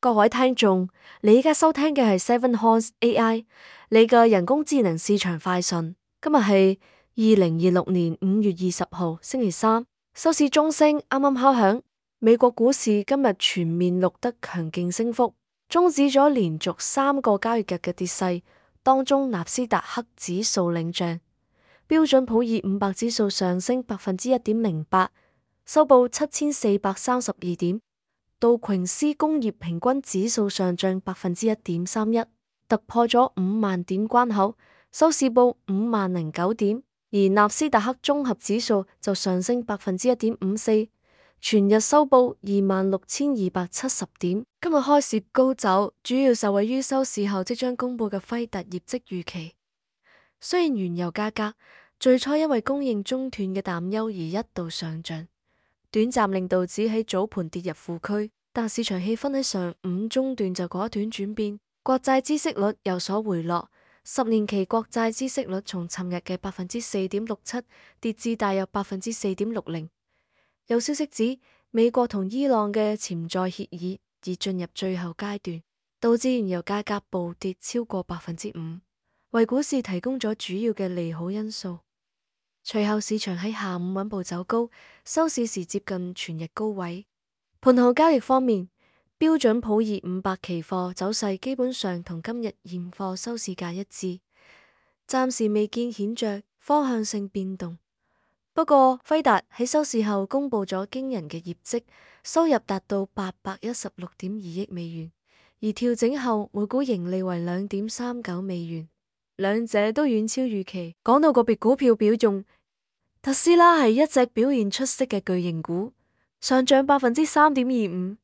各位聽眾，你而家收聽嘅係 Seven Horse AI， 你嘅人工智能市場快訊。今日係2026年5月20號，星期三，收市鐘聲啱啱敲響。美國股市今日全面錄得強勁升幅，終止咗連續3個交易日嘅跌勢。當中納斯達克指數領漲，標準普爾500指數上升1.08%，收報7432點。道瓊斯工業平均指數上漲1.31%，突破咗5萬點關口，收市報50009點。而納斯達克綜合指數就上升1.54%，全日收報26270點。今日開市高走，主要受惠於收市後即將公布嘅輝達業績預期。雖然原油價格最初因為供應中斷嘅擔憂而一度上漲，短暫令道指喺早盤跌入負區，但市場氣氛喺上午中段就果斷轉變，國債孳息率有所回落，10年期國債孳息率從尋日嘅4.67%跌至大約4.60%。有消息指美國同伊朗嘅潛在協議已進入最後階段，導致原油價格暴跌超過5%，為股市提供咗主要嘅利好因素。隨後市場喺下午穩步走高，收市時接近全日高位。盤後交易方面，標準普爾500期貨走勢基本上同今日現貨收市價一致，暫時未見顯著方向性變動。不過輝達喺收市後公布咗驚人嘅業績，收入達到816.2億美元，而調整後每股盈利為2.39美元。兩者都遠超預期。講到個別股票表現，特斯拉係一隻表現出色嘅巨型股，上漲3.25%，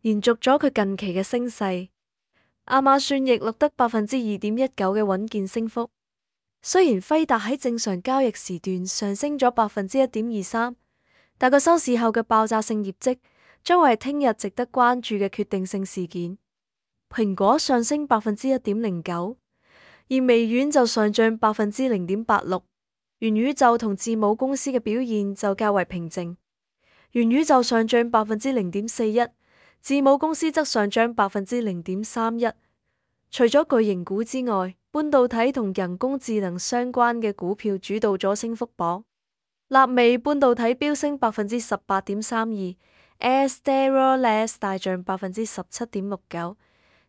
延續咗佢近期嘅升勢。亞馬遜亦錄得2.19%嘅穩健升幅。雖然輝達喺正常交易時段上升咗1.23%，但個收市後嘅爆炸性業績將會係聽日值得關注嘅決定性事件。蘋果上升1.09%。而微軟就上漲0.86%，元宇宙同字母公司嘅表現就較為平靜。元宇宙上漲0.41%，字母公司則上漲0.31%。除咗巨型股之外，半導體同人工智能相關嘅股票主導咗升幅榜。納美半導體飆升18.32%，Astera Labs 大漲17.69%。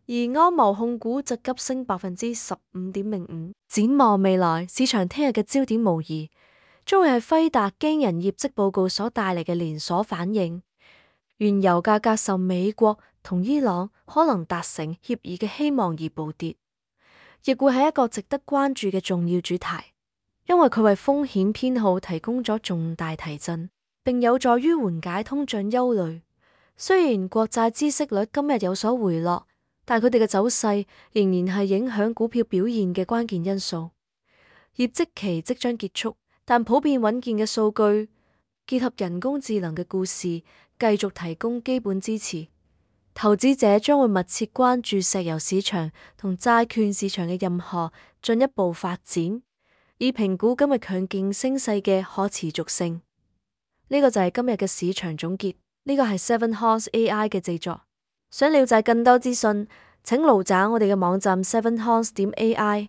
而安謀控股則急升15.05%。展望未來，市場聽日嘅焦點無疑將會係輝達驚人業績報告所帶嚟嘅連鎖反應。原油價格受美國同伊朗可能達成協議嘅希望而暴跌，亦會係一個值得關注嘅重要主題，因為佢為風險偏好提供咗重大提振，並有助於緩解通脹憂慮。雖然國債孳息率今日有所回落，但佢哋嘅走勢仍然係影響股票表現嘅關鍵因素。業績期即將結束，但普遍穩健嘅數據結合人工智能嘅故事，繼續提供基本支持。投資者將會密切關注石油市場同債券市場嘅任何進一步發展，以評估今日強勁升勢嘅可持續性。呢個就係今日嘅市場總結。呢個係 Seven Horse AI 嘅製作。想了解更多資訊，請瀏覽我哋嘅網站 7horse.ai。